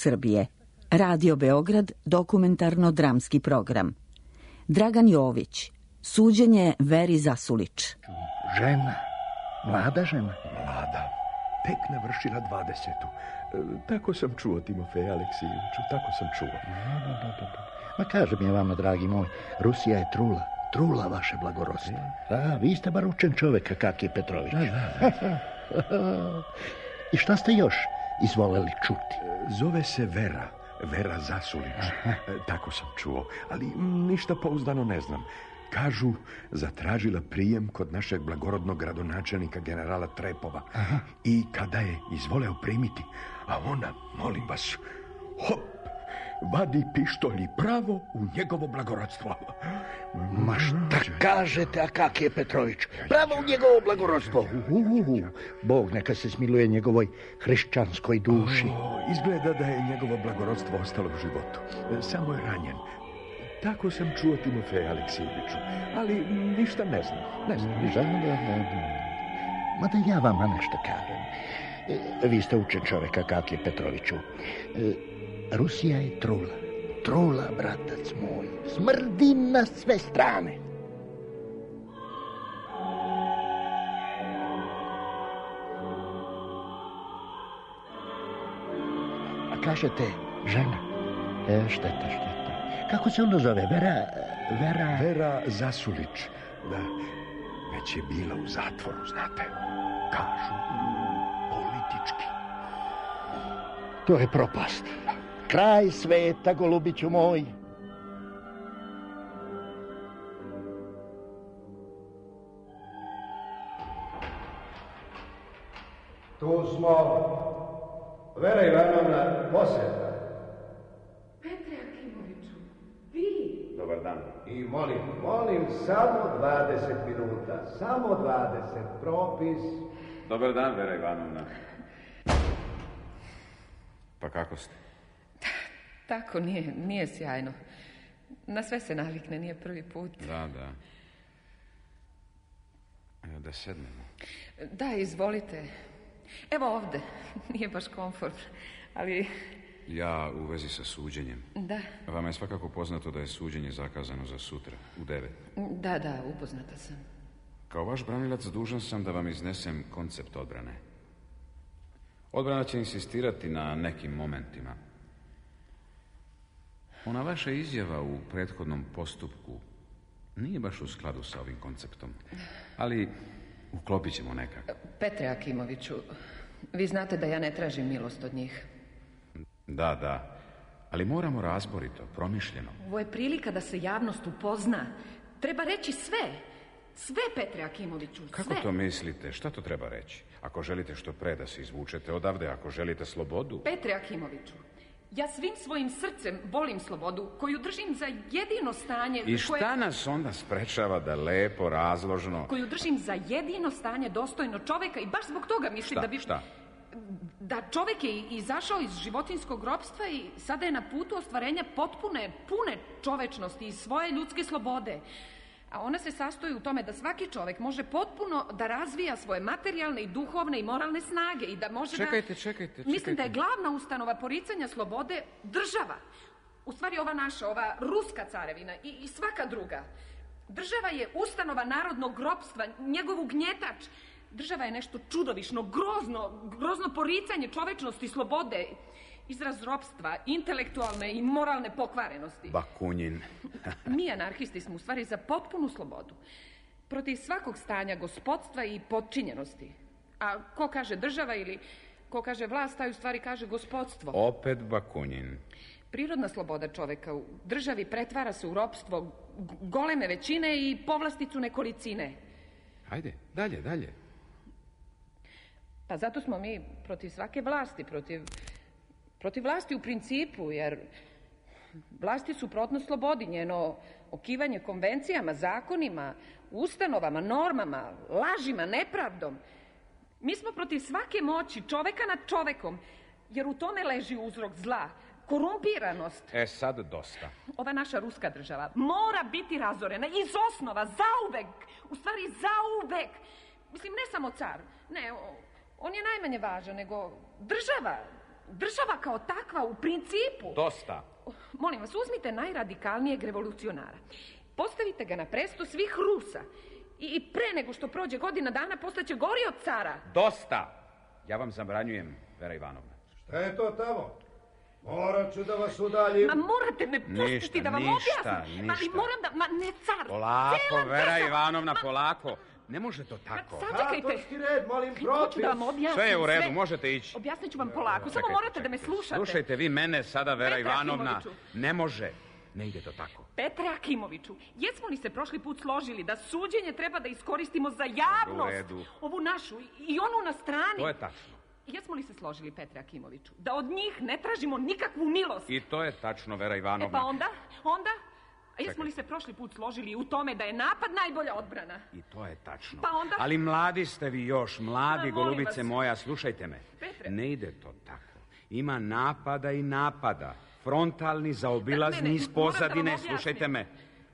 Srbije. Radio Beograd, dokumentarno-dramski program. Dragan Jović, suđenje Veri Zasulić. Žena, mlada žena. Mlada, tek navršila 20. Tako sam čuo, Timofej Aleksijeviću, tako sam čuo. Ma kažem je vama, dragi moj, Rusija je trula vaše blagorodstvo. Da, vi ste bar učen čovjek, kak je Petrović. Da. I šta ste još izvoleli čuti? Zove se Vera Zasulić. Tako sam čuo, ali ništa pouzdano ne znam. Kažu, zatražila prijem kod našeg blagorodnog gradonačelnika generala Trepova. I kada je izvoleo primiti, a ona, molim vas, hop, vadi pištolj i pravo u njegovo blagorodstvo. Ma šta kažete, a kak je Petrović? Pravo u njegovo blagorodstvo. Bog neka se smiluje njegovoj hrišćanskoj duši. Izgleda da je njegovo blagorodstvo ostalo u životu. Samo je ranjen. Tako sam čuo, Timofej Aleksijeviću, ali ništa ne znam. ništa. Mada ja vama nešto kažem. Vi ste učen čovjeka, kak je Petroviću. Rusija je trula, bratac moj. Smrdi na sve strane. A kažete, žena? Šteta. Kako se ona zove? Vera Zasulić. Da, već je bila u zatvoru, znate. Kažu, politički. To je propast. Kraj sveta, golubiću moj. Tu smo. Vera Ivanovna, poseta. Petre Akimoviću, vi? Dobar dan. I molim, samo 20 minuta. Samo 20, propis. Dobar dan, Vera Ivanovna. Pa kako ste? Tako, nije sjajno. Na sve se navikne, nije prvi put. Da. Evo da sednemo. Da, izvolite. Evo ovde. Nije baš komfort, ali... Ja u vezi sa suđenjem. Da. Vama je svakako poznato da je suđenje zakazano za sutra, u 9. Da, upoznata sam. Kao vaš branilac dužan sam da vam iznesem koncept odbrane. Odbrana će insistirati na nekim momentima. Ona vaša izjava u prethodnom postupku nije baš u skladu sa ovim konceptom, ali uklopit ćemo nekako. Petre Akimoviću, vi znate da ja ne tražim milost od njih. Da, ali moramo razborito, promišljeno. Ovo je prilika da se javnost upozna. Treba reći sve, Petre Akimoviću, sve. Kako to mislite? Šta to treba reći? Ako želite što pre da se izvučete odavde, ako želite slobodu... Petre Akimoviću, ja svim svojim srcem volim slobodu, koju držim za jedino stanje... I šta nas onda sprečava da lepo, razložno... Koju držim za jedino stanje dostojno čoveka i baš zbog toga mislim da bi... Šta? Da čovek je izašao iz životinjskog ropstva i sada je na putu ostvarenja pune čovečnosti i svoje ljudske slobode. A ona se sastoji u tome da svaki čovek može potpuno da razvija svoje materijalne i duhovne i moralne snage i da može Čekajte. Mislim da je glavna ustanova poricanja slobode država. U stvari ova naša, ova ruska carevina i svaka druga. Država je ustanova narodnog ropstva, njegov ugnjetač. Država je nešto čudovišno, grozno poricanje čovečnosti i slobode. Izraz ropstva, intelektualne i moralne pokvarenosti. Bakunin. Mi anarhisti smo u stvari za potpunu slobodu. Protiv svakog stanja gospodstva i podčinjenosti. A ko kaže država ili ko kaže vlast, taj u stvari kaže gospodstvo. Opet Bakunin. Prirodna sloboda čoveka u državi pretvara se u ropstvo goleme većine i povlasticu nekolicine. Hajde, dalje. Pa zato smo mi protiv svake vlasti, protiv vlasti u principu, jer vlast je suprotno slobodi, njeno okivanje konvencijama, zakonima, ustanovama, normama, lažima, nepravdom. Mi smo protiv svake moći, čoveka nad čovekom, jer u tome leži uzrok zla, korumpiranost. Sad dosta. Ova naša ruska država mora biti razorena iz osnova, zauvek. U stvari zauvek. Mislim, ne samo car, ne, on je najmanje važan, nego država. država kao takva u principu... Dosta. Molim vas, uzmite najradikalnijeg revolucionara. Postavite ga na presto svih Rusa. I pre nego što prođe godina dana postaće gori od cara. Dosta. Ja vam zabranjujem, Vera Ivanovna. Šta je to tamo? Morat ću da vas udaljim. Ma morate me pustiti da vam objasnim. Ništa. Ali moram da... Ma ne, car. Polako, Vera Ivanovna, polako. Ne može to tako. Sačekajte. Zakonski red, molim, propis. Hoću da vam objasnim. Sve je u redu, možete ići. Objasnit ću vam polako. Samo morate da me slušate. Slušajte vi mene sada, Vera Petre Ivanovna. Akimoviću. Ne može. Ne ide to tako. Petre Akimoviću, jesmo li se prošli put složili da suđenje treba da iskoristimo za javnost? U redu. Ovu našu i onu na strani. To je tačno. Jesmo li se složili, Petre Akimoviću, da od njih ne tražimo nikakvu milost? I to je tačno, Vera Ivanovna. Pa onda? A jesmo li se prošli put složili u tome da je napad najbolja odbrana? I to je tačno. Pa onda? Ali mladi ste vi još, mladi, golubice vas. moja, slušajte me. Petre. Ne ide to tako. Ima napada i napada. Frontalni, zaobilazni iz pozadine.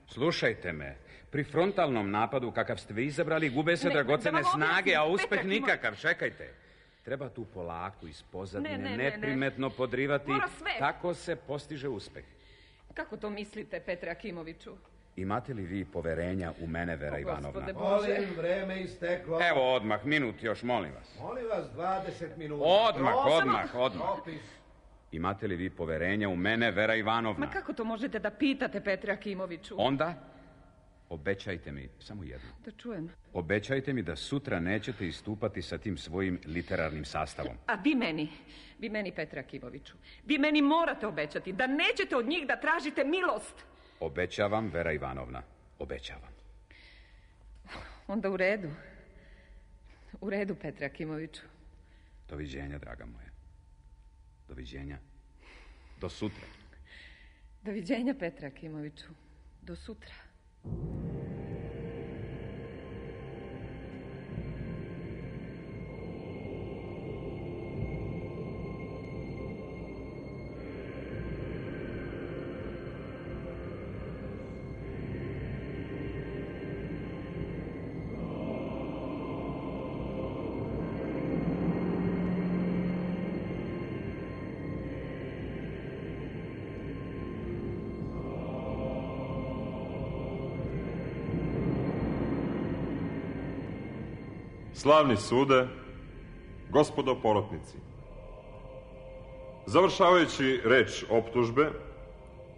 Slušajte me. Pri frontalnom napadu, kakav ste vi izabrali, gube se dragocene snage, a uspeh nikakav. Čekajte. Treba tu polako iz pozadine neprimetno podrivati. Tako se postiže uspeh. Kako to mislite, Petre Akimoviću? Imate li vi poverenja u mene, Vera Ivanovna? Molim, vreme isteklo. Evo odmah, minut još, molim vas. Molim vas, 20 minuta. Odmah. Propis. Imate li vi poverenja u mene, Vera Ivanovna? Ma kako to možete da pitate, Petre Akimoviću? Onda, obećajte mi, samo jedno. Da čujem. Obećajte mi da sutra nećete istupati sa tim svojim literarnim sastavom. A vi meni, Petre Akimoviću, vi meni morate obećati da nećete od njih da tražite milost. Obećavam, Vera Ivanovna, obećavam. Onda u redu. U redu, Petre Akimoviću. Doviđenja, draga moja. Doviđenja. Do sutra. Doviđenja, Petre Akimoviću. Do sutra. Slavni sude, gospodo porotnici, završavajući reč optužbe,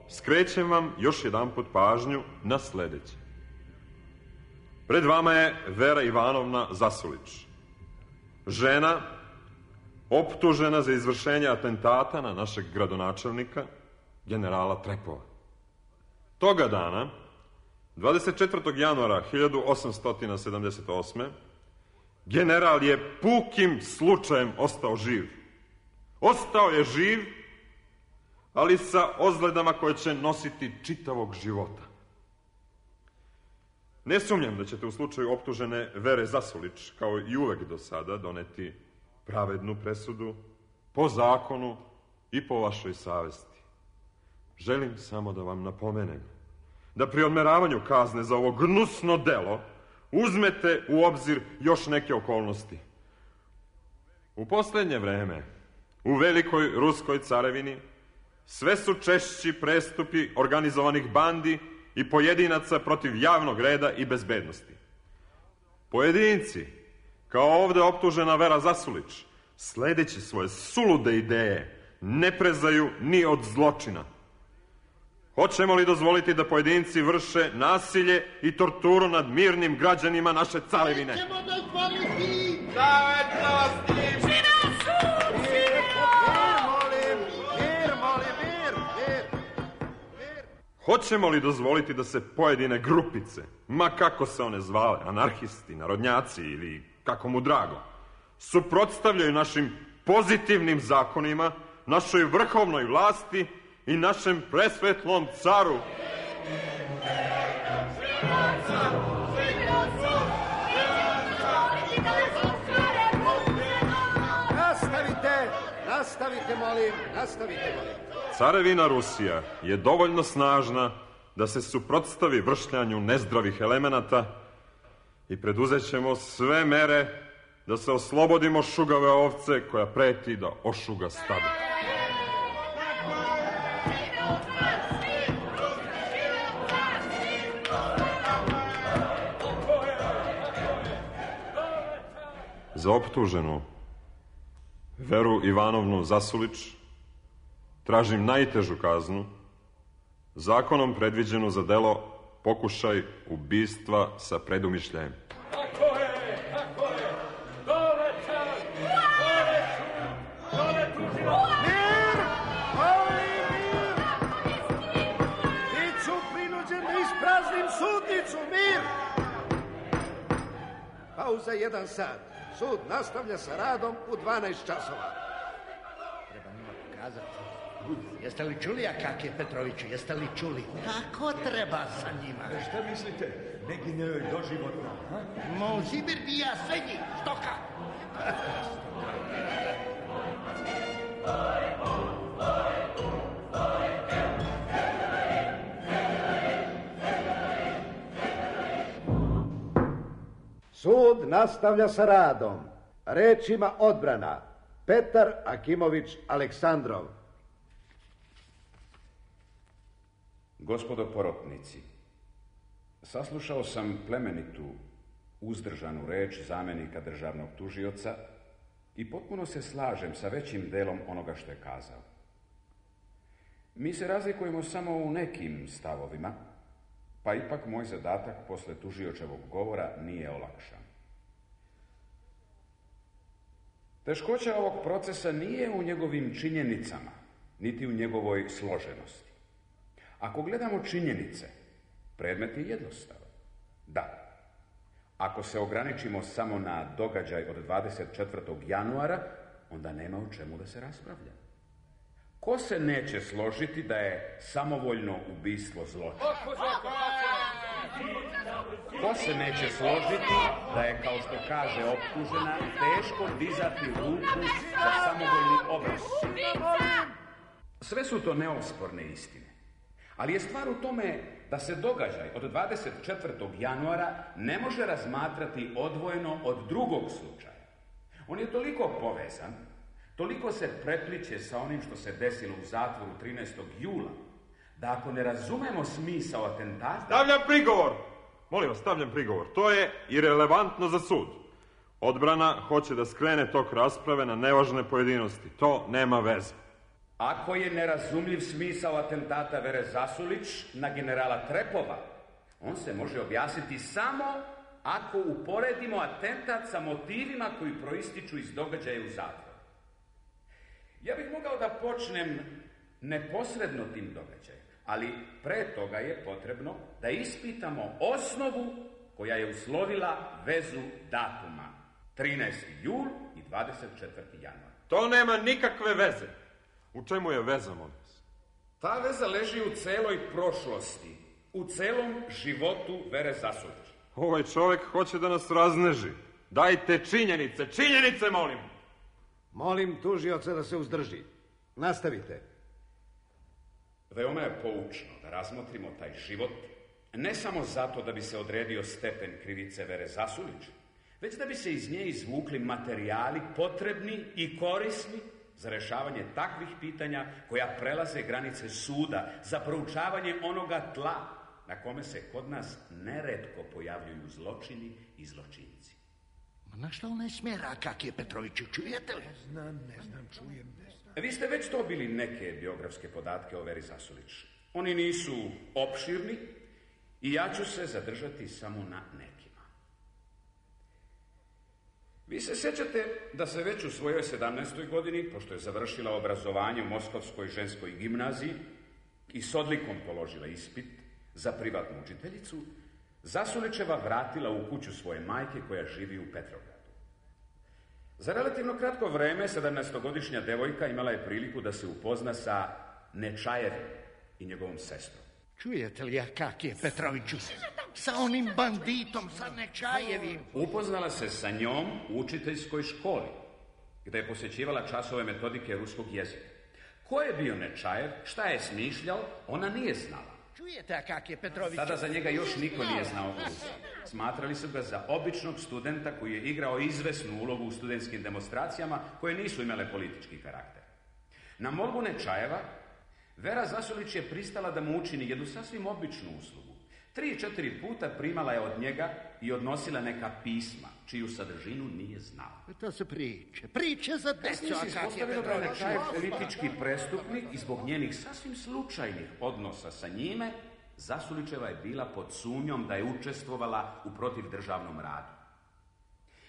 skrećem vam još jedanput pažnju na sledeće. Pred vama je Vera Ivanovna Zasulić, žena optužena za izvršenje atentata na našeg gradonačelnika, generala Trepova. Toga dana, 24. januara 1878. general je pukim slučajem ostao živ. Ostao je živ, ali sa ozledama koje će nositi čitavog života. Ne sumnjam da ćete u slučaju optužene Vere Zasulić, kao i uvek do sada, doneti pravednu presudu, po zakonu i po vašoj savesti. Želim samo da vam napomenem da pri odmeravanju kazne za ovo gnusno delo uzmete u obzir još neke okolnosti. U poslednje vreme, u velikoj ruskoj carevini, sve su češći prestupi organizovanih bandi i pojedinaca protiv javnog reda i bezbednosti. Pojedinci, kao ovde optužena Vera Zasulić, sledeći svoje sulude ideje, ne prezaju ni od zločina. Hoćemo li dozvoliti da pojedinci vrše nasilje i torturu nad mirnim građanima naše carevine? Nećemo dozvoliti! Hoćemo li dozvoliti da se pojedine grupice, ma kako se one zvale, anarhisti, narodnjaci ili kako mu drago, suprotstavljaju našim pozitivnim zakonima, našoj vrhovnoj vlasti i našem presvetlom caru? Nastavite, molim. Carevina Rusija je dovoljno snažna da se suprotstavi vršljanju nezdravih elemenata i preduzet ćemo sve mere da se oslobodimo šugave ovce koja preti da ošuga stada. Za optuženu Veru Ivanovnu Zasulić tražim najtežu kaznu, zakonom predviđenu za delo pokušaj ubistva sa predumišljajem. Tako je. Dole čak! Dole tužila! Mir! Molim mir! Biću prinuđen da ispraznim sudnicu, mir! Pauza 1 sat. Sud nastavlja sa radom u 12 časova. Treba njima pokazati. Jeste li čuli, Akakije Petroviću, jeste li čuli? Kako treba sa njima? Šta mislite? Neki njoj doživotno, ha? Sibir bija sve njih, stoka! Sud nastavlja sa radom. Reč ima odbrana. Petar Akimović Aleksandrov. Gospodo porotnici, saslušao sam plemenitu, uzdržanu reč zamjenika državnog tužioca i potpuno se slažem sa većim delom onoga što je kazao. Mi se razlikujemo samo u nekim stavovima, pa ipak moj zadatak posle tužiočevog govora nije olakšan. Teškoća ovog procesa nije u njegovim činjenicama, niti u njegovoj složenosti. Ako gledamo činjenice, predmet je jednostavan. Da, ako se ograničimo samo na događaj od 24. januara, onda nema o čemu da se raspravlja. Ko se neće složiti da je samovoljno ubistvo zločin? Ko se neće složiti da je, kao što kaže optužena, teško dizati ruku za samovoljni obraz? Sve su to neosporne istine. Ali je stvar u tome da se događaj od 24. januara ne može razmatrati odvojeno od drugog slučaja. On je toliko povezan, toliko se prepliće sa onim što se desilo u zatvoru 13. jula, da ako ne razumemo smisao atentata... Stavljam prigovor! Molim vas, stavljam prigovor. To je irelevantno za sud. Odbrana hoće da skrene tok rasprave na nevažne pojedinosti. To nema veze. Ako je nerazumljiv smisao atentata Vere Zasulić na generala Trepova, on se može objasniti samo ako uporedimo atentat sa motivima koji proističu iz događaja u zatvoru. Ja bih mogao da počnem neposredno tim događajem, ali pre toga je potrebno da ispitamo osnovu koja je uslovila vezu datuma 13. jul i 24. januar. To nema nikakve veze. U čemu je veza, molim vas? Ta veza leži u celoj prošlosti, u celom životu Vere Zasulić. Ovaj čovjek hoće da nas razneži. Dajte činjenice, molim. Molim tužioca da se uzdrži. Nastavite. Veoma je poučno da razmotrimo taj život, ne samo zato da bi se odredio stepen krivice Vere Zasulić, već da bi se iz nje izvukli materijali potrebni i korisni za rešavanje takvih pitanja koja prelaze granice suda, za proučavanje onoga tla na kome se kod nas neretko pojavljuju zločini i zločinci. Na što ne smjera, Akakije Petroviću, čujete li? Ne znam, čujem. Vi ste već dobili neke biografske podatke o Veri Zasulić. Oni nisu opširni i ja ću se zadržati samo na nekima. Vi se sjećate da se već u svojoj 17. godini, pošto je završila obrazovanje u Moskovskoj ženskoj gimnaziji i s odlikom položila ispit za privatnu učiteljicu, Zasulićeva vratila u kuću svoje majke koja živi u Petrogradu. Za relativno kratko vreme 17-godišnja devojka imala je priliku da se upozna sa Nečajevim i njegovom sestrom. Čujete li, Akakije Petroviću, sa onim banditom, sa Nečajevim? Upoznala se sa njom u učiteljskoj školi, gde je posjećivala časove metodike ruskog jezika. Ko je bio Nečajev, šta je smišljao, ona nije znala. Čujete kak je Petrović? Sada za njega još niko nije znao Rusiju. Smatrali su ga za običnog studenta koji je igrao izvesnu ulogu u studentskim demonstracijama koje nisu imale politički karakter. Na molbu Nečajeva, Vera Zasulić je pristala da mu učini jednu sasvim običnu uslugu. 3-4 puta primala je od njega i odnosila neka pisma, čiju sadržinu nije znala. To su priče za decu. Kasnije se ispostavilo da je Nečajev politički prestupnik i zbog njenih sasvim slučajnih odnosa sa njime, Zasulićeva je bila pod sumnjom da je učestvovala u protivdržavnom radu.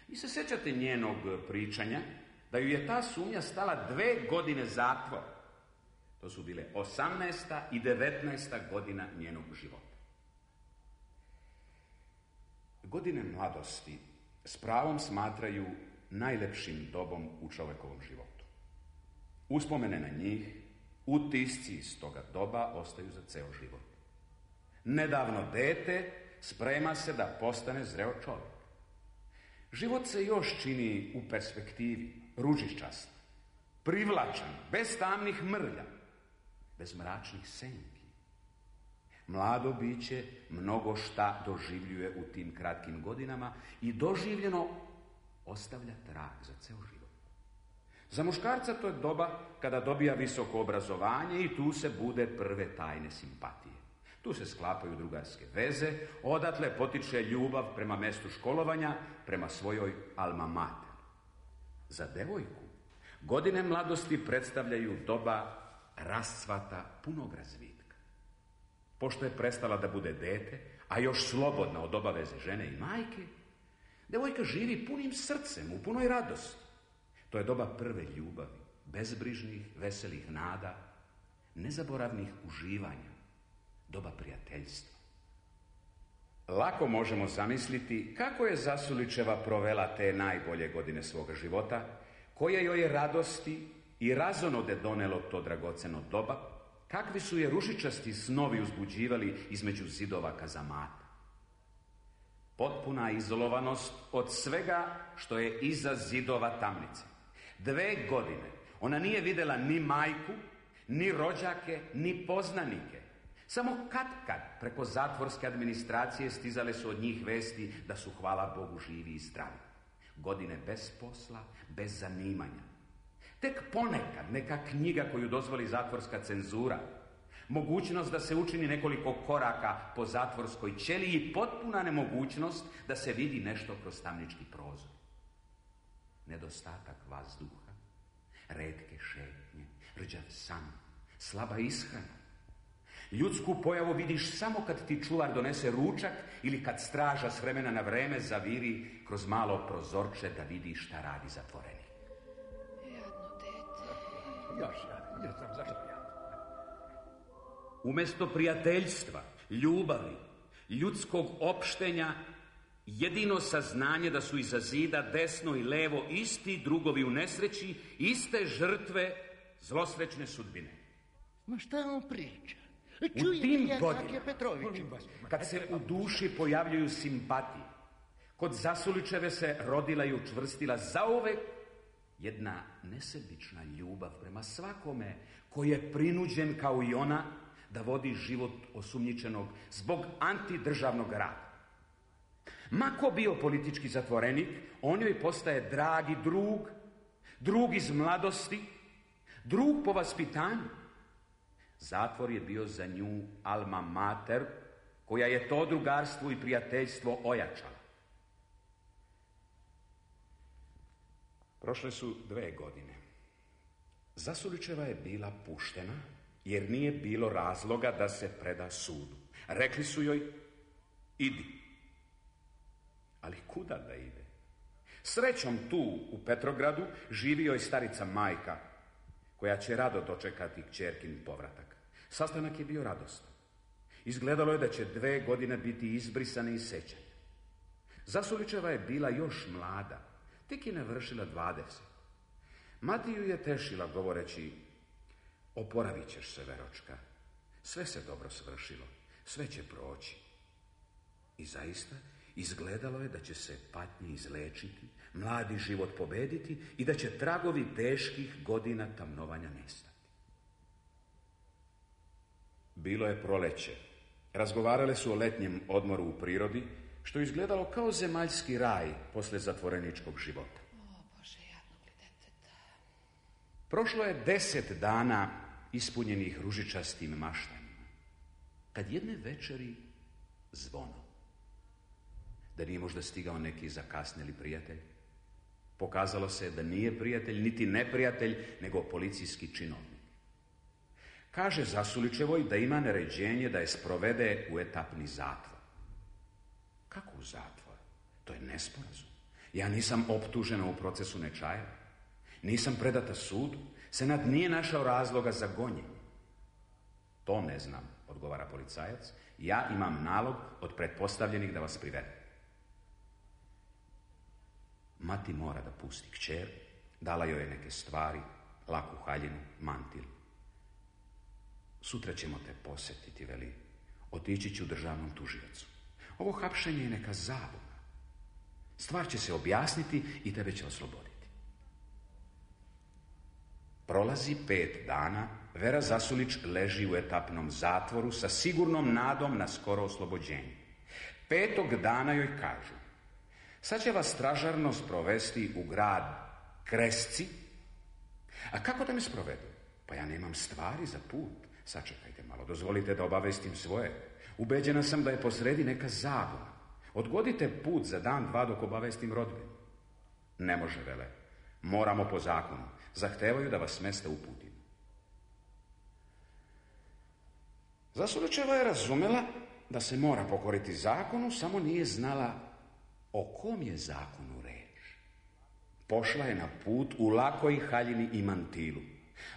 Vi se sjećate njenog pričanja da ju je ta sumnja stala 2 godine zatvora. To su bile 18. i 19. godina njenog života. Godine mladosti s pravom smatraju najlepšim dobom u čovjekovom životu. Uspomene na njih, utisci iz toga doba ostaju za ceo život. Nedavno dete sprema se da postane zreo čovjek. Život se još čini u perspektivi, ružičast, privlačan, bez tamnih mrlja, bez mračnih senki. Mlado biće mnogo šta doživljuje u tim kratkim godinama i doživljeno ostavlja trag za ceo život. Za muškarca to je doba kada dobija visoko obrazovanje i tu se bude prve tajne simpatije. Tu se sklapaju drugarske veze, odatle potiče ljubav prema mestu školovanja, prema svojoj alma mater. Za devojku godine mladosti predstavljaju doba rascvata punog razvitka. Pošto je prestala da bude dete, a još slobodna od obaveze žene i majke, devojka živi punim srcem, u punoj radosti. To je doba prve ljubavi, bezbrižnih, veselih nada, nezaboravnih uživanja, doba prijateljstva. Lako možemo zamisliti kako je Zasulićeva provela te najbolje godine svoga života, koje joj je radosti i razonode donelo to dragoceno doba, kakvi su je ružičasti snovi uzbuđivali između zidova kazamata. Potpuna izolovanost od svega što je iza zidova tamnice. 2 godine ona nije vidjela ni majku, ni rođake, ni poznanike. Samo kad preko zatvorske administracije stizale su od njih vesti da su, hvala Bogu, živi i zdravi. Godine bez posla, bez zanimanja. Tek ponekad neka knjiga koju dozvoli zatvorska cenzura, mogućnost da se učini nekoliko koraka po zatvorskoj ćeliji i potpuna nemogućnost da se vidi nešto kroz tamnički prozor. Nedostatak vazduha, retke šetnje, rđav san, slaba ishrana. Ljudsku pojavu vidiš samo kad ti čuvar donese ručak ili kad straža s vremena na vreme zaviri kroz malo prozorče da vidi šta radi zatvorenik. Jadno dete. Još ja znam zašto ja. Umjesto prijateljstva, ljubavi, ljudskog opštenja, jedino saznanje da su iza zida desno i levo isti drugovi u nesreći, iste žrtve zlosrećne sudbine. Ma šta on priča? U tim godinama, kad se u duši pojavljuju simpatije, kod Zasulićeve se rodila i učvrstila zauvek jedna nesebična ljubav prema svakome koji je prinuđen kao i ona da vodi život osumnjičenog zbog antidržavnog rada. Mako bio politički zatvorenik, on joj postaje dragi drug iz mladosti, drug po vaspitanju. Zatvor je bio za nju alma mater, koja je to drugarstvo i prijateljstvo ojačala. Prošle su 2 godine. Zasulićeva je bila puštena, jer nije bilo razloga da se preda sudu. Rekli su joj, idi. Ali kuda da ide? Srećom tu, u Petrogradu, živi joj starica majka, koja će rado dočekati kćerkin povratak. Sastanak je bio radostan. Izgledalo je da će 2 godine biti izbrisane iz sećanja. Zasulićeva je bila još mlada, tek je navršila 20. Mati ju je tešila govoreći, oporavit ćeš se, Veročka, sve se dobro svršilo, sve će proći. I zaista izgledalo je da će se patnje izlečiti, mladi život pobediti i da će tragovi teških godina tamnovanja nestati. Bilo je proleće Razgovarale su o letnjem odmoru u prirodi, što je izgledalo kao zemaljski raj posle zatvoreničkog života. O, Bože, jadnog li deteta. Prošlo je 10 dana ispunjenih ružičastim maštanjima, kad jedne večeri zvono. Da nije možda stigao neki zakasneli prijatelj? Pokazalo se da nije prijatelj, niti neprijatelj, nego policijski činovnik. Kaže Zasulićevoj da ima naređenje da je sprovede u etapni zatvor. Kako u zatvor? To je nesporazum. Ja nisam optužena u procesu nečaja. Nisam predata sudu. Senat nije našao razloga za gonjenje. To ne znam, odgovara policajac. Ja imam nalog od pretpostavljenih da vas privede. Mati mora da pusti kćer, dala joj je neke stvari, laku haljinu, mantil. Sutra ćemo te posetiti, veli. Otići ću državnom tužiocu. Ovo hapšenje je neka zabuna. Stvar će se objasniti i tebe će osloboditi. Prolazi 5 dana, Vera Zasulić leži u etapnom zatvoru sa sigurnom nadom na skoro oslobođenje. 5. dana joj kažu: sad će vas stražarno sprovesti u grad Kresci. A kako da me sprovedu? Pa ja nemam stvari za put. Sačekajte malo, dozvolite da obavestim svoje. Ubeđena sam da je posredi neka zabuna. Odgodite put za dan, 2 dok obavestim rodbinu. Ne može, vele. Moramo po zakonu. Zahtevaju da vas s mesta uputim. Zasulićeva je razumela da se mora pokoriti zakonu, samo nije znala o kom je zakonu reč. Pošla je na put u lakoj haljini i mantilu.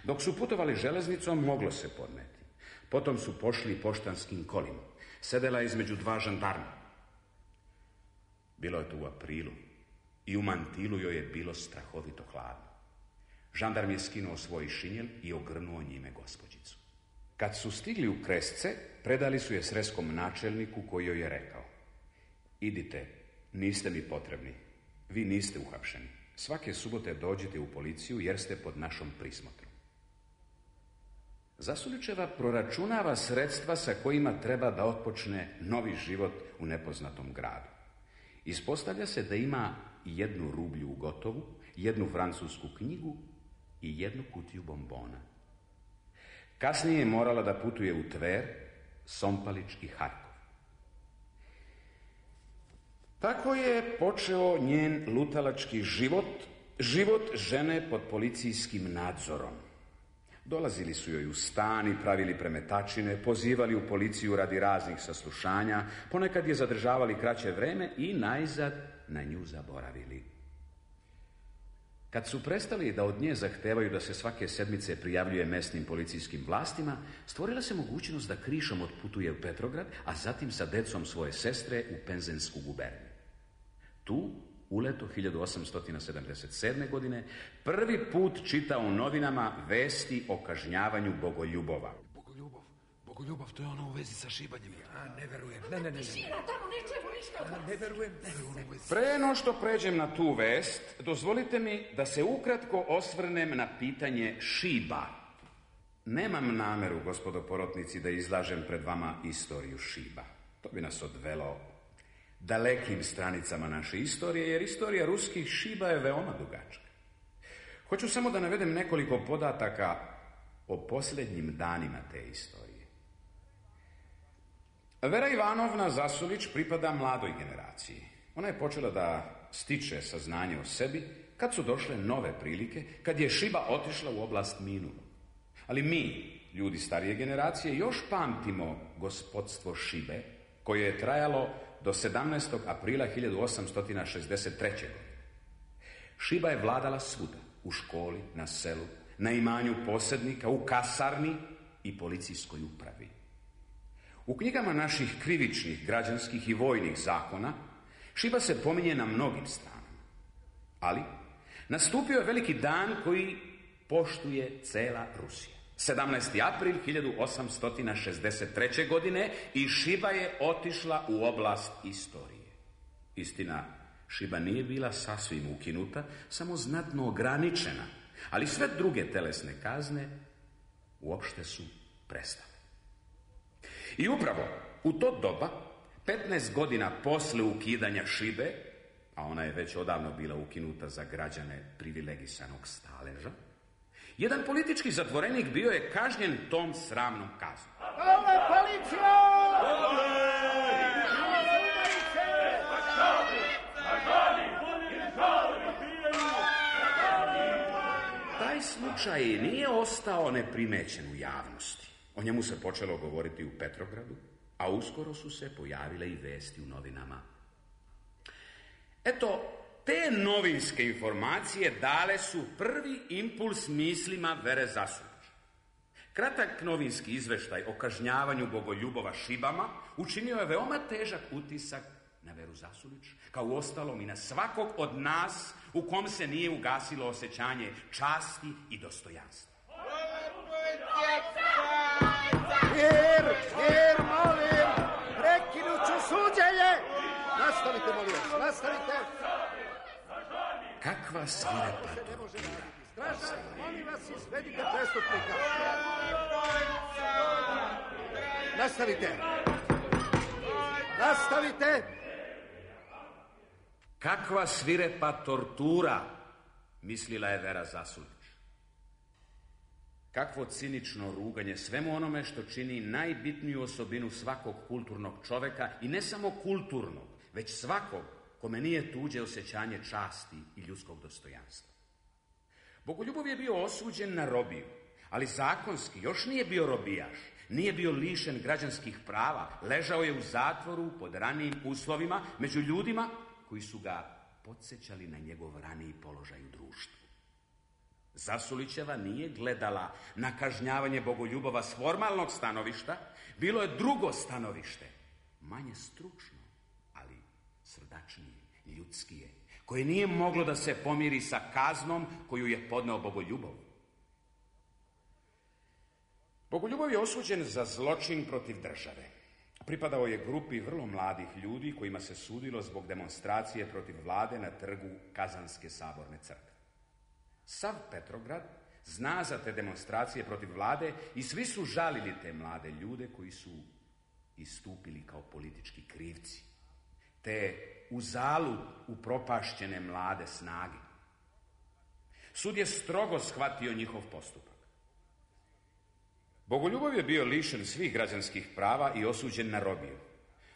Dok su putovali železnicom, moglo se podneti. Potom su pošli poštanskim kolima. Sedela je između 2 žandarma. Bilo je to u aprilu i u mantilu joj je bilo strahovito hladno. Žandarm je skinuo svoj šinjel i ogrnuo njime gospođicu. Kad su stigli u Kresce, predali su je sreskom načelniku koji joj je rekao: idite, niste mi potrebni, vi niste uhapšeni. Svake subote dođite u policiju jer ste pod našom prismotrom. Zasulićeva proračunava sredstva sa kojima treba da otpočne novi život u nepoznatom gradu. Ispostavlja se da ima 1 rublju u gotovu, 1 francusku knjigu i 1 kutiju bombona. Kasnije je morala da putuje u Tver, Sompalić i Harkov. Tako je počeo njen lutalački život žene pod policijskim nadzorom. Dolazili su joj u stan i pravili premetačine, pozivali u policiju radi raznih saslušanja, ponekad je zadržavali kraće vreme i najzad na nju zaboravili. Kad su prestali da od nje zahtevaju da se svake sedmice prijavljuje mesnim policijskim vlastima, stvorila se mogućnost da krišom otputuje u Petrograd, a zatim sa decom svoje sestre u Penzensku guberniju. Tu, uleto 1877. godine, prvi put čita u novinama vesti o kažnjavanju Bogoljubova. Bogoljubov, to je ono u vezi sa šibanjem. Ne verujem. Ne. Tišina, tamo ne čujemo ništa. Ne verujem. Pre no što pređem na tu vest, dozvolite mi da se ukratko osvrnem na pitanje šiba. Nemam nameru, gospodo porotnici, da izlažem pred vama istoriju šiba. To bi nas odvelo dalekim stranicama naše istorije, jer istorija ruskih šiba je veoma dugačka. Hoću samo da navedem nekoliko podataka o posljednjim danima te istorije. Vera Ivanovna Zasulić pripada mladoj generaciji. Ona je počela da stiče saznanje o sebi kad su došle nove prilike, kad je šiba otišla u oblast minulu. Ali mi, ljudi starije generacije, još pamtimo gospodstvo šibe, koje je trajalo do 17. aprila 1863. godine. Šiba je vladala svuda, u školi, na selu, na imanju posjednika, u kasarni i policijskoj upravi. U knjigama naših krivičnih, građanskih i vojnih zakona šiba se pominje na mnogim stranama. Ali nastupio je veliki dan koji poštuje cela Rusija. 17. april 1863. godine i šiba je otišla u oblast istorije. Istina, šiba nije bila sasvim ukinuta, samo znatno ograničena, ali sve druge telesne kazne uopšte su prestale. I upravo U to doba, 15 godina posle ukidanja šibe, a ona je već odavno bila ukinuta za građane privilegisanog staleža, jedan politički zatvorenik bio je kažnjen tom sramnom kaznom. Dole, policija! Taj slučaj nije ostao neprimećen u javnosti. O njemu se počelo govoriti u Petrogradu, a uskoro su se pojavile i vesti u novinama. Eto, te novinske informacije dale su prvi impuls mislima Vere Zasulić. Kratak novinski izveštaj o kažnjavanju Bogoljubova šibama učinio je veoma težak utisak na Veru Zasulić, kao uostalom i na svakog od nas u kom se nije ugasilo osjećanje časti i dostojanstva. Mir, molim, prekinut ću suđenje. Nastavite, molim vas, nastavite. Kakva svirepa tortura. Stražar, molim vas, izvedite prestupnika. Nastavite. Kakva svirepa tortura, mislila je Vera Zasulić. Kakvo cinično ruganje svemu onome što čini najbitniju osobinu svakog kulturnog čoveka, i ne samo kulturnog, već svakog kome nije tuđe osjećanje časti i ljudskog dostojanstva. Bogoljubov je bio osuđen na robiju, ali zakonski još nije bio robijaš, nije bio lišen građanskih prava, ležao je u zatvoru pod ranijim uslovima među ljudima koji su ga podsjećali na njegov raniji položaj u društvu. Zasulićeva nije gledala na kažnjavanje Bogoljubova s formalnog stanovišta, bilo je drugo stanovište, manje stručno, ali srdačnije, ljudskije, koje nije moglo da se pomiri sa kaznom koju je podneo Bogoljubov. Bogoljubov je osuđen za zločin protiv države. Pripadao je grupi vrlo mladih ljudi kojima se sudilo zbog demonstracije protiv vlade na trgu Kazanske saborne crkve. Sav Petrograd zna za te demonstracije protiv vlade i svi su žalili te mlade ljude koji su istupili kao politički krivci, te uzalud upropašćene mlade snage. Sud je strogo shvatio njihov postupak. Bogoljubov je bio lišen svih građanskih prava i osuđen na robiju,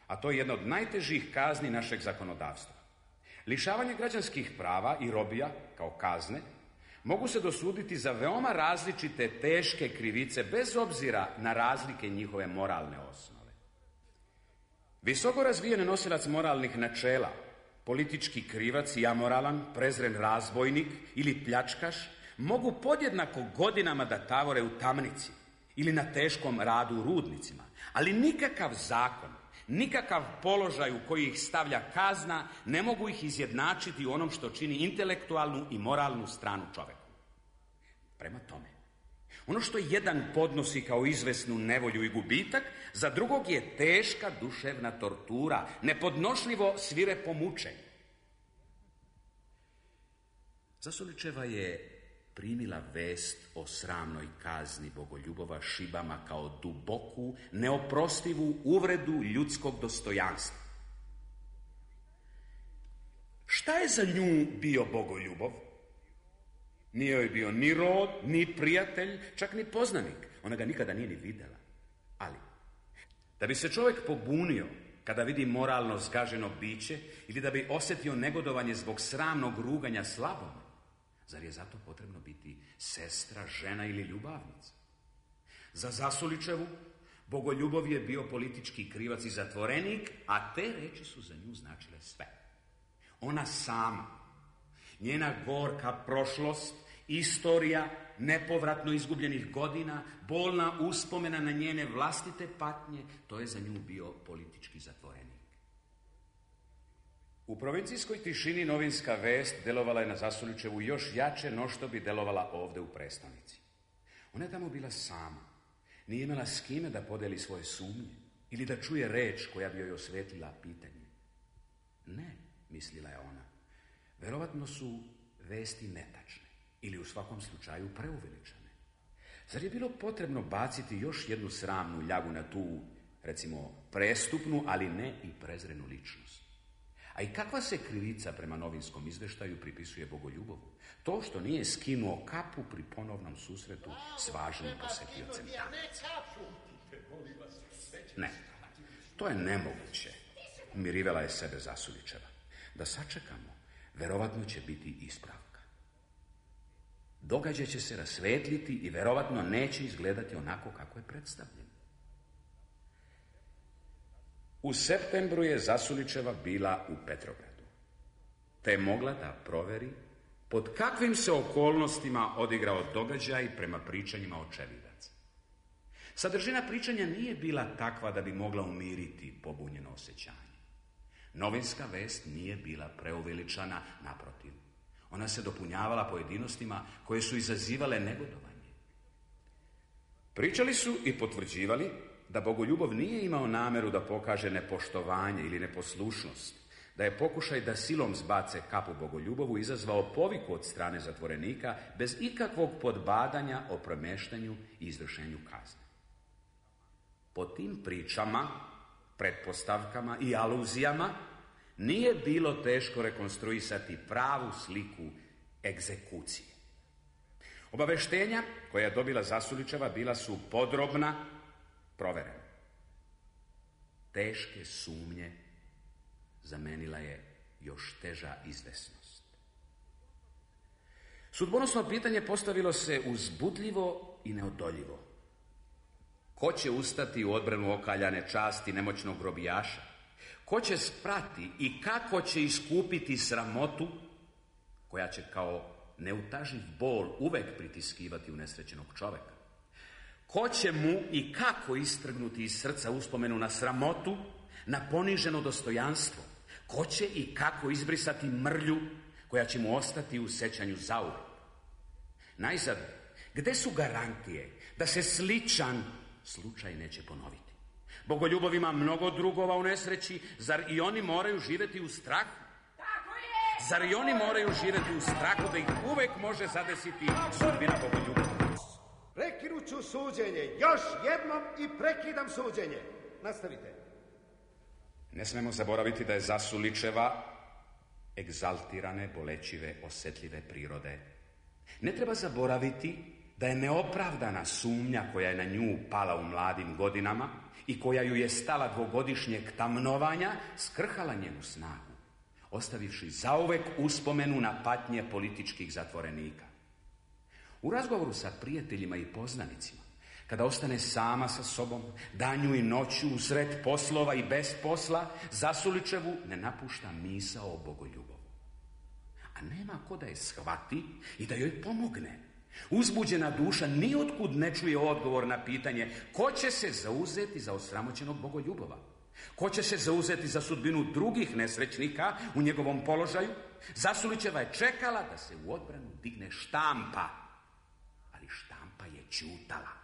a to je jedna od najtežih kazni našeg zakonodavstva. Lišavanje građanskih prava i robija kao kazne mogu se dosuditi za veoma različite teške krivice bez obzira na razlike njihove moralne osnove. Visoko razvijen nosilac moralnih načela, politički krivac i amoralan, prezren razbojnik ili pljačkaš mogu podjednako godinama da tavore u tamnici ili na teškom radu u rudnicima, ali nikakav zakon, nikakav položaj u koji ih stavlja kazna ne mogu ih izjednačiti u onom što čini intelektualnu i moralnu stranu čoveku. Prema tome, ono što jedan podnosi kao izvesnu nevolju i gubitak, za drugog je teška duševna tortura, nepodnošljivo svirepo mučenje. Zasulićeva je primila vest o sramnoj kazni Bogoljubova šibama kao duboku, neoprostivu uvredu ljudskog dostojanstva. Šta je za nju bio Bogoljubov? Nije joj bio ni rod, ni prijatelj, čak ni poznanik. Ona ga nikada nije ni videla. Ali, da bi se čovjek pobunio kada vidi moralno zgaženo biće ili da bi osjetio negodovanje zbog sramnog ruganja slabom, zar je zato potrebno biti sestra, žena ili ljubavnica? Za Zasulićevu Bogoljubov je bio politički krivac i zatvorenik, a te reči su za nju značile sve. Ona sama, njena gorka prošlost, istorija nepovratno izgubljenih godina, bolna uspomena na njene vlastite patnje, to je za nju bio politički zatvorenik. U provincijskoj tišini novinska vest delovala je na Zasulićevu još jače no što bi delovala ovde u prestonici. Ona je tamo bila sama, nije imala s kime da podeli svoje sumnje ili da čuje reč koja bi joj osvetlila pitanje. Ne, mislila je ona, verovatno su vesti netačne ili u svakom slučaju preuveličane. Zar je bilo potrebno baciti još jednu sramnu ljagu na tu recimo prestupnu, ali ne i prezrenu ličnost. A i kakva se krivica prema novinskom izveštaju pripisuje Bogoljubovu? To što nije skinuo kapu pri ponovnom susretu s važnim posjetiocem. Ne, to je nemoguće, mirivala je sebe Zasulićeva. Da sačekamo, verovatno će biti ispravka. Događaj će se rasvetliti i verovatno neće izgledati onako kako je predstavljen. U septembru je Zasulićeva bila u Petrogradu, te je mogla da proveri pod kakvim se okolnostima odigrao događaj prema pričanjima očevidaca. Sadržina pričanja nije bila takva da bi mogla umiriti pobunjeno osjećanje. Novinska vest nije bila preuveličana, naprotiv. Ona se dopunjavala pojedinostima koje su izazivale negodovanje. Pričali su i potvrđivali da Bogoljubov nije imao nameru da pokaže nepoštovanje ili neposlušnost, da je pokušaj da silom zbace kapu Bogoljubovu izazvao poviku od strane zatvorenika bez ikakvog podbadanja o premeštanju i izvršenju kazne. Po tim pričama, pretpostavkama i aluzijama nije bilo teško rekonstruisati pravu sliku egzekucije. Obaveštenja koja je dobila Zasulićeva bila su podrobna, proverena. Teške sumnje zamenila je još teža izvesnost. Sudbonosno pitanje postavilo se uzbudljivo i neodoljivo. Ko će ustati u odbranu okaljane časti nemoćnog grobijaša? Ko će sprati i kako će iskupiti sramotu koja će kao neutaživ bol uvek pritiskivati unesrećenog čoveka? Ko će mu i kako istrgnuti iz srca uspomenu na sramotu, na poniženo dostojanstvo? Ko će i kako izbrisati mrlju koja će mu ostati u sećanju zauvek? Najzad, gde su garantije da se sličan slučaj neće ponoviti? Bogoljubov ima mnogo drugova u nesreći, zar i oni moraju živjeti u strahu? Tako je! Zar i oni moraju živjeti u strahu da ih uvek može zadesiti sudbina Bogoljubova? Prekinut ću suđenje, još jednom i prekidam suđenje. Nastavite. Ne smemo zaboraviti da je Zasulićeva egzaltirane, bolećive, osetljive prirode. Ne treba zaboraviti da je neopravdana sumnja koja je na nju pala u mladim godinama i koja ju je stala dvogodišnjeg tamnovanja skrhala njenu snagu, ostavivši zauvek uspomenu na patnje političkih zatvorenika. U razgovoru sa prijateljima i poznanicima, kada ostane sama sa sobom, danju i noću, usred poslova i bez posla, Zasulićevu ne napušta misao o Bogoljubovu. A nema ko da je shvati i da joj pomogne. Uzbuđena duša nijotkud ne čuje odgovor na pitanje ko će se zauzeti za osramoćenog Bogoljubova. Ko će se zauzeti za sudbinu drugih nesrećnika u njegovom položaju? Zasulićeva je čekala da se u odbranu digne štampa, ali štampa je ćutala.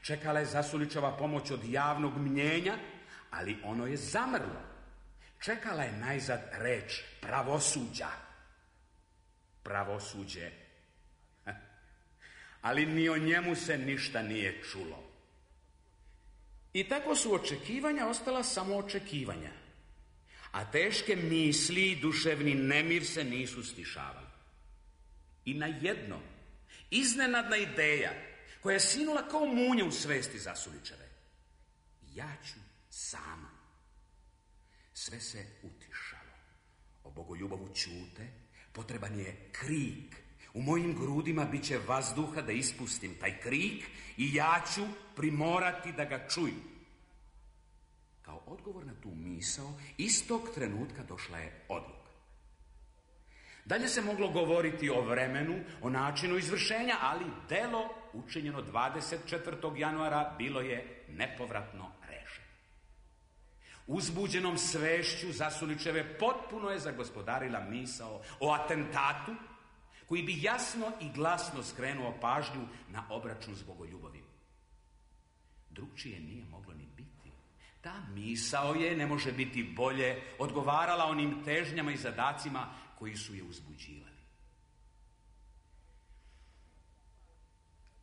Čekala je Zasulićeva pomoć od javnog mnjenja, ali ono je zamrlo. Čekala je najzad reč pravosuđa. Pravosuđe. Ali ni o njemu se ništa nije čulo. I tako su očekivanja ostala samo očekivanja, a teške misli i duševni nemir se nisu stišavali. I na jedno, iznenadna ideja koja je sinula kao munje u svesti Zasulićeve. Ja ću sama. Sve se utišalo. O Bogoljubovu ćute, potreban je krik. U mojim grudima bit će vazduha da ispustim taj krik i ja ću primorati da ga čuju. Kao odgovor na tu misao, istog trenutka došla je odluka. Dalje se moglo govoriti o vremenu, o načinu izvršenja, ali delo učinjeno 24. januara bilo je nepovratno rešeno. Uzbuđenom svešću Zasulićeve potpuno je zagospodarila misao o atentatu koji bi jasno i glasno skrenuo pažnju na obračun s Bogoljubovim. Drugčije nije moglo ni biti. Ta misao je, ne može biti bolje, odgovarala onim težnjama i zadacima koji su je uzbuđivali.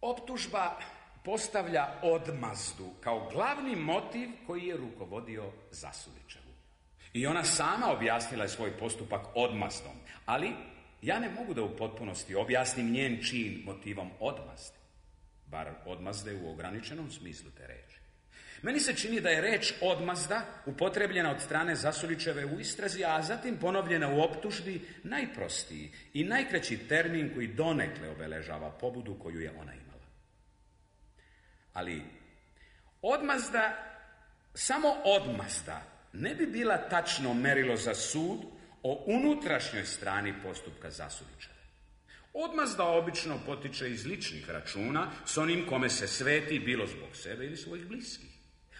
Optužba postavlja odmazdu kao glavni motiv koji je rukovodio Zasulićevu. I ona sama objasnila je svoj postupak odmazdom, ali ja ne mogu da u potpunosti objasnim njen čin motivom odmazde, bar odmazde u ograničenom smislu te reči. Meni se čini da je reč odmazda upotrebljena od strane Zasulićeve u istrazi, a zatim ponovljena u optužbi najprostiji i najkraći termin koji donekle obeležava pobudu koju je ona imala. Ali odmazda, samo odmazda, ne bi bila tačno merilo za sud o unutrašnjoj strani postupka Zasulićeve. Odmazda obično potiče iz ličnih računa s onim kome se sveti, bilo zbog sebe ili svojih bliskih.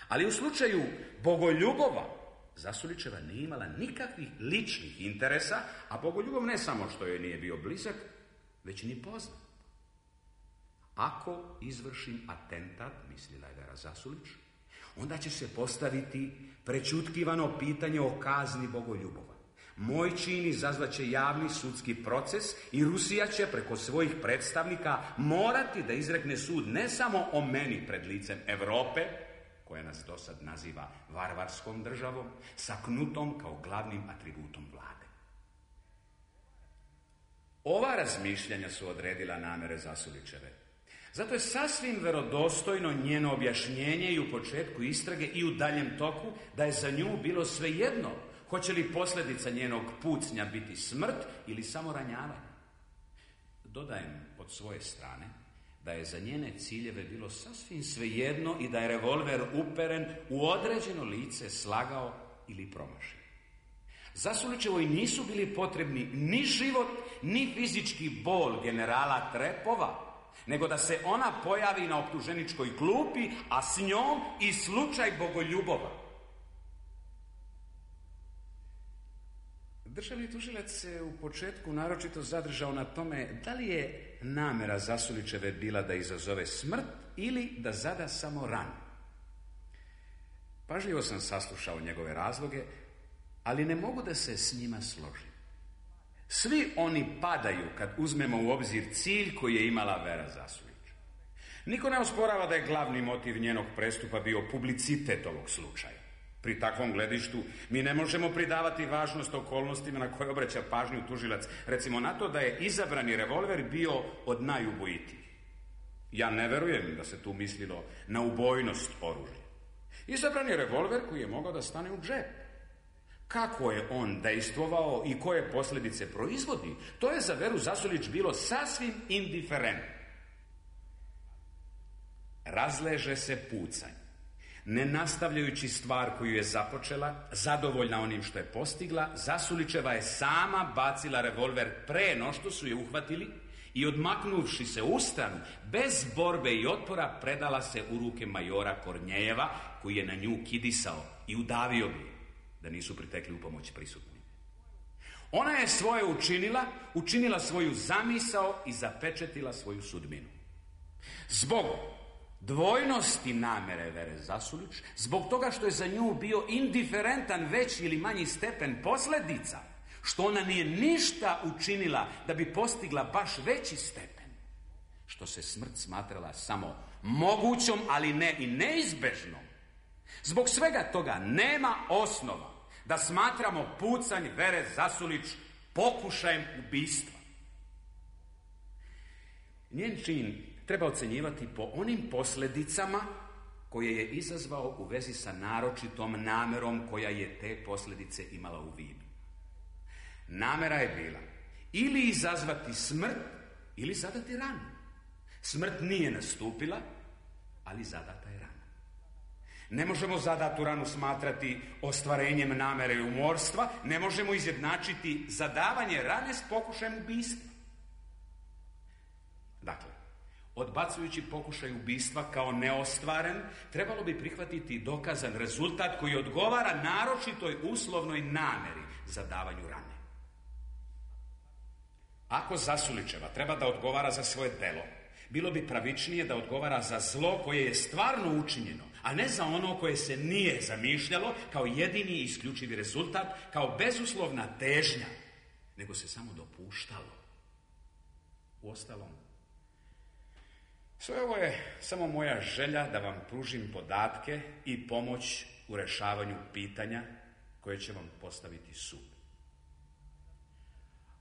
Ali u slučaju Bogoljubova, Zasulićeva nije imala nikakvih ličnih interesa, a Bogoljubov ne samo što joj nije bio blizak, već ni poznat. Ako izvršim atentat, mislila je Vera Zasulić, onda će se postaviti prećutkivano pitanje o kazni Bogoljubova. Moj čin izazvaće javni sudski proces i Rusija će preko svojih predstavnika morati da izrekne sud ne samo o meni pred licem Evrope, koja nas dosad naziva varvarskom državom, sa knutom kao glavnim atributom vlade. Ova razmišljanja su odredila namere Zasulićeve. Zato je sasvim verodostojno njeno objašnjenje i u početku istrage i u daljem toku da je za nju bilo svejedno hoće li posljedica njenog pucnja biti smrt ili samo ranjavanje. Dodajem od svoje strane da je za njene ciljeve bilo sasvim svejedno i da je revolver uperen u određeno lice slagao ili promašio. Zasulićevoj nisu bili potrebni ni život, ni fizički bol generala Trepova, nego da se ona pojavi na optuženičkoj klupi, a s njom i slučaj Bogoljubova. Državni tužilac se u početku naročito zadržao na tome da li je namera Zasulićeve bila da izazove smrt ili da zada samo ranu. Pažljivo sam saslušao njegove razloge, ali ne mogu da se s njima složim. Svi oni padaju kad uzmemo u obzir cilj koji je imala Vera Zasulić. Niko ne osporava da je glavni motiv njenog prestupa bio publicitet ovog slučaja. Pri takvom gledištu mi ne možemo pridavati važnost okolnostima na koje obraća pažnju tužilac, recimo na to da je izabrani revolver bio od najubojitijih. Ja ne verujem da se tu mislilo na ubojnost oružja. Izabrani revolver koji je mogao da stane u džep. Kako je on dejstvovao i koje posljedice proizvodi, to je za Veru Zasulić bilo sasvim indiferentno. Razleže se pucanj. Ne nastavljajući stvar koju je započela, zadovoljna onim što je postigla, Zasulićeva je sama bacila revolver pre no što su je uhvatili i odmaknuvši se u stranu, bez borbe i otpora, predala se u ruke majora Kornjejeva, koji je na nju kidisao i udavio bi, da nisu pritekli u pomoć prisutni. Ona je svoje učinila svoju zamisao i zapečetila svoju sudbinu. Zbog dvojnosti namere Vere Zasulić, zbog toga što je za nju bio indiferentan veći ili manji stepen posljedica, što ona nije ništa učinila da bi postigla baš veći stepen, što se smrt smatrala samo mogućom, ali ne i neizbežnom. Zbog svega toga nema osnova da smatramo pucanj Vere Zasulić pokušajem ubistva. Njen čin treba ocenjivati po onim posljedicama koje je izazvao u vezi sa naročitom namerom koja je te posljedice imala u vidu. Namera je bila ili izazvati smrt ili zadati ranu. Smrt nije nastupila, ali zadata je rana. Ne možemo zadatu ranu smatrati ostvarenjem namere i umorstva, ne možemo izjednačiti zadavanje rane s pokušajem ubistva. Dakle, odbacujući pokušaj ubistva kao neostvaren, trebalo bi prihvatiti dokazan rezultat koji odgovara naročitoj uslovnoj nameri za davanju rane. Ako Zasulićeva treba da odgovara za svoje delo, bilo bi pravičnije da odgovara za zlo koje je stvarno učinjeno, a ne za ono koje se nije zamišljalo kao jedini i isključivi rezultat, kao bezuslovna težnja, nego se samo dopuštalo. Uostalom, Sve ovo je samo moja želja da vam pružim podatke i pomoć u rešavanju pitanja koje će vam postaviti sud.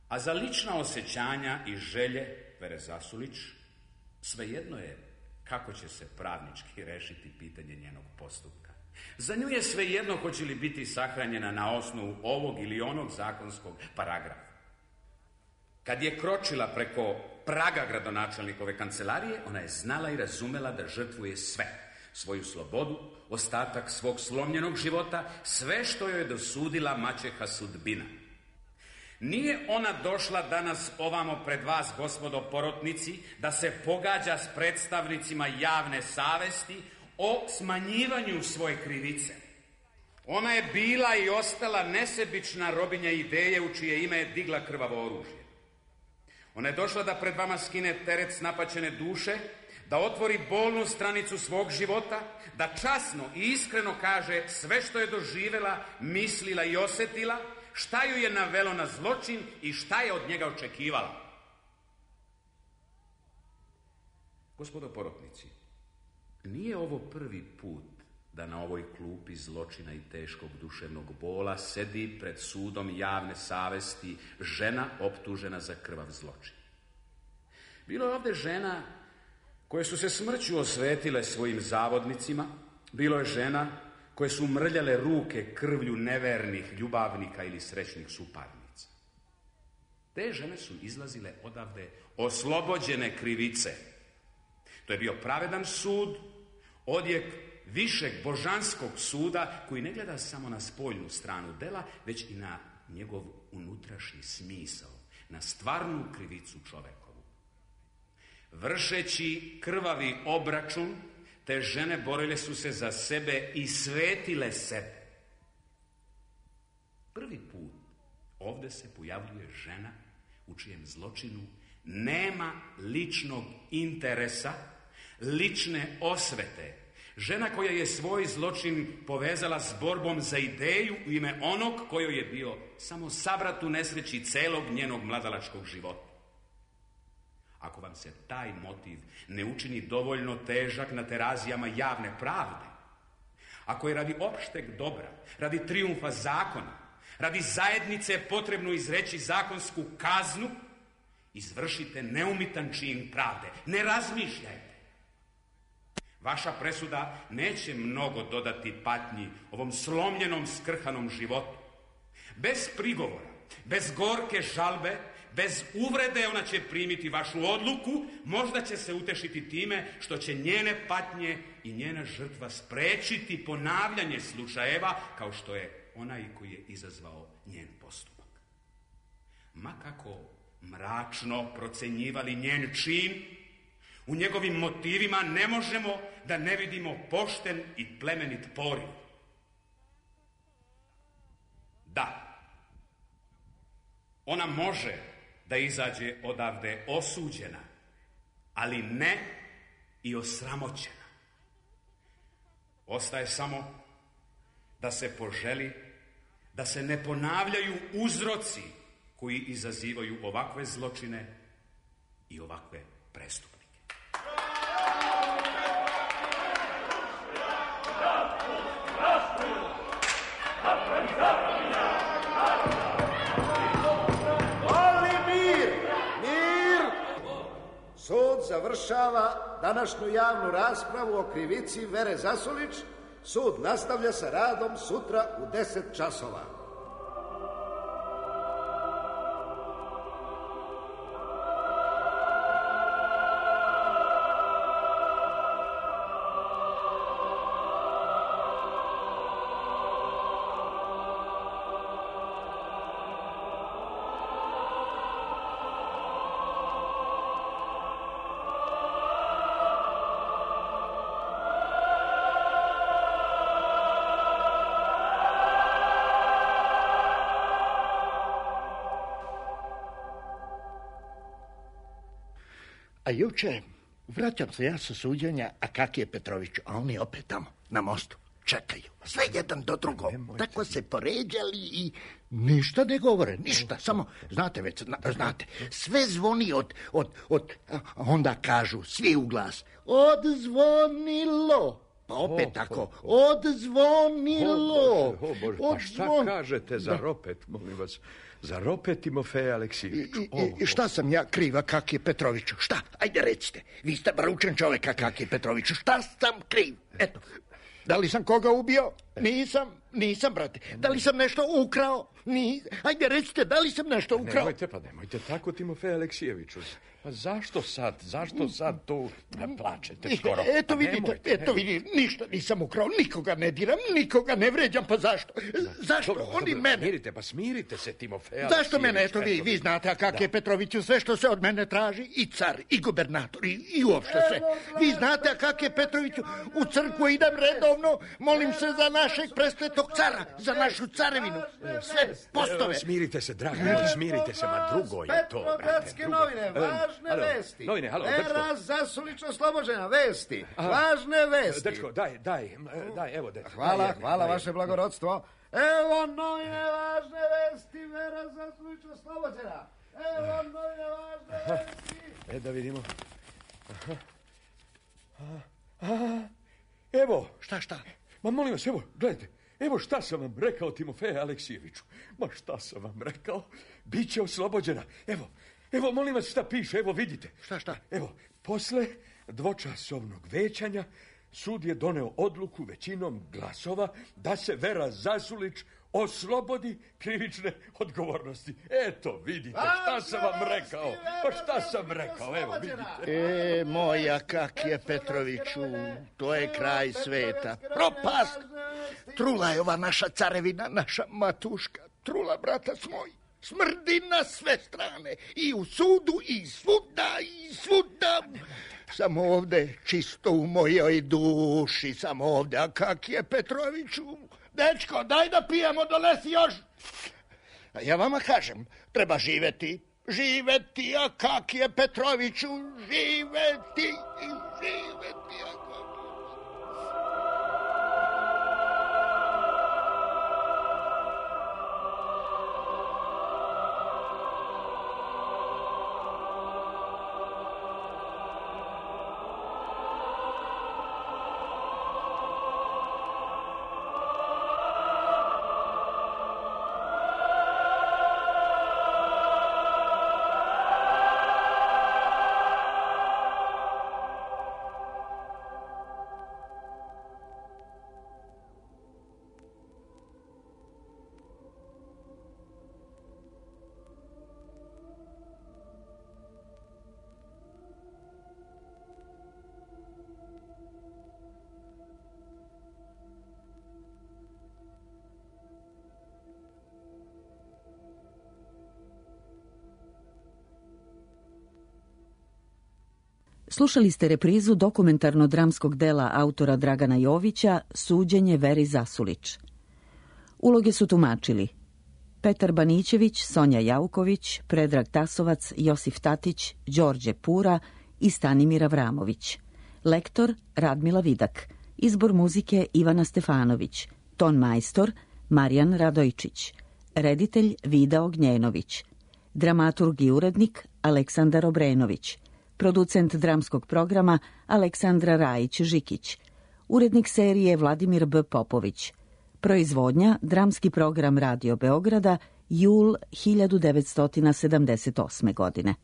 A za lična osjećanja i želje Vere Zasulić, svejedno je kako će se pravnički rešiti pitanje njenog postupka. Za nju je svejedno hoće li biti sahranjena na osnovu ovog ili onog zakonskog paragrafa. Kad je kročila preko praga gradonačelnikove kancelarije, ona je znala i razumela da žrtvuje sve. Svoju slobodu, ostatak svog slomljenog života, sve što joj je dosudila maćeha sudbina. Nije ona došla danas ovamo pred vas, gospodo porotnici, da se pogađa s predstavnicima javne savesti o smanjivanju svoje krivice. Ona je bila i ostala nesebična robinja ideje u čije ime je digla krvavo oružje. Ona je došla da pred vama skine teret s napaćene duše, da otvori bolnu stranicu svog života, da časno i iskreno kaže sve što je doživela, mislila i osjetila, šta ju je navelo na zločin i šta je od njega očekivala. Gospodo porotnici, nije ovo prvi put da na ovoj klupi zločina i teškog duševnog bola sedi pred sudom javne savesti žena optužena za krvav zločin. Bilo je ovdje žena koje su se smrću osvetile svojim zavodnicima, bilo je žena koje su mrljale ruke krvlju nevernih ljubavnika ili srećnih suparnica. Te žene su izlazile odavde oslobođene krivice. To je bio pravedan sud, odjek višeg božanskog suda koji ne gleda samo na spoljnu stranu dela, već i na njegov unutrašnji smisao, na stvarnu krivicu čovekovu. Vršeći krvavi obračun, te žene borile su se za sebe i svetile sebe. Prvi put ovdje se pojavljuje žena u čijem zločinu nema ličnog interesa, lične osvete. Žena koja je svoj zločin povezala s borbom za ideju u ime onog kojoj je bio samo sabrat u nesreći celog njenog mladalačkog života. Ako vam se taj motiv ne učini dovoljno težak na terazijama javne pravde, ako je radi opšteg dobra, radi trijumfa zakona, radi zajednice potrebno izreći zakonsku kaznu, izvršite neumitan čin pravde. Ne razmišljajte. Vaša presuda neće mnogo dodati patnji ovom slomljenom, skrhanom životu. Bez prigovora, bez gorke žalbe, bez uvrede ona će primiti vašu odluku, možda će se utešiti time što će njene patnje i njena žrtva sprečiti ponavljanje slučajeva kao što je onaj koji je izazvao njen postupak. Ma kako mračno procenjivali njen čin, u njegovim motivima ne možemo da ne vidimo pošten i plemenit poriv. Da, ona može da izađe odavde osuđena, ali ne i osramoćena. Ostaje samo da se poželi da se ne ponavljaju uzroci koji izazivaju ovakve zločine i ovakve prestupnike. Sud završava današnju javnu raspravu o krivici Vere Zasulić. Sud nastavlja sa radom sutra u 10 časova. A juče vraćam se ja sa suđenja Akakije Petroviću, a on je opet tamo, na mostu. čekaju. Sve jedan do drugog. Tako se poređali i ništa ne govore, ništa. Samo, znate već, znate, sve zvoni od onda kažu svi u glas, odzvonilo. Pa opet tako, odzvonilo. Bože, pa šta kažete za ropet, molim vas? Za ropet, Timofeja Aleksijeviću. I šta sam ja kriva, Kakije Petroviću? Šta? Ajde recite. Vi ste bar učen čoveka, Kakije Petroviću. Šta sam kriv? Eto. Da li sam koga ubio? Nisam, brate. Da li sam nešto ukrao? Ajde recite, da li sam nešto ukrao? Nemojte tako, Timofeja Aleksijeviću. Pa zašto sad to plačete skoro? Eto vidite, ništa nisam ukrao, nikoga ne diram, nikoga ne vređam, pa zašto? Zašto? Oni mene. Smirite se, Timofeja Aleksijević. Zašto mene? Eto vi znate, a kak je Petroviću, sve što se od mene traži, i car, i gubernator, i uopšte sve. Vi znate, a kak je Petroviću, u crkvu idem redovno, molim se za našeg presvetog cara, za našu carevinu, sve postove. Smirite se, dragi moj, smirite se, ma drugo je to, brate. Novine, važne vesti. Novine, halo, Vera Zasulić oslobođena, vesti. Važne vesti. Dečko, daj, evo, dečko. Hvala, vaše blagorodstvo. Evo novine, važne vesti. Vera Zasulić oslobođena. Evo novine, važne vesti. Da vidimo. Evo. Šta? Ma molim vas, evo, gledajte. Evo šta sam vam rekao, Timofeja Aleksijeviću. Ma šta sam vam rekao? Biće oslobođena. Evo, molim vas šta piše, evo vidite. Šta? Evo, posle dvočasovnog većanja sud je doneo odluku većinom glasova da se Vera Zasulić oslobodi krivične odgovornosti. Eto, vidite, šta sam vam rekao. Pa šta sam rekao, evo, vidite. Moja Kakije Petroviću, to je kraj sveta. Propast! Trula je ova naša carevina, naša matuška. Trula, brata moj. Smrdi na sve strane. I u sudu, i svuda. Samo ovde, čisto u mojoj duši, samo ovde. A Kakije Petroviću? Dečko, daj da pijemo, donesi još. A ja vama kažem, treba živeti, a Kakije Petroviću, živeti. Slušali ste reprizu dokumentarno-dramskog dela autora Dragana Jovića Suđenje Veri Zasulić. Uloge su tumačili Petar Banićević, Sonja Jauković, Predrag Tasovac, Josif Tatić, Đorđe Pura i Stanimir Avramović. Lektor Radmila Vidak. Izbor muzike Ivana Stefanović. Ton majstor Marijan Radojčić. Reditelj Vida Ognjenović. Dramaturg i urednik Aleksandar Obrenović. Producent dramskog programa Aleksandra Rajić-Žikić. Urednik serije Vladimir B. Popović. Proizvodnja dramski program Radio Beograda, jul 1978. godine.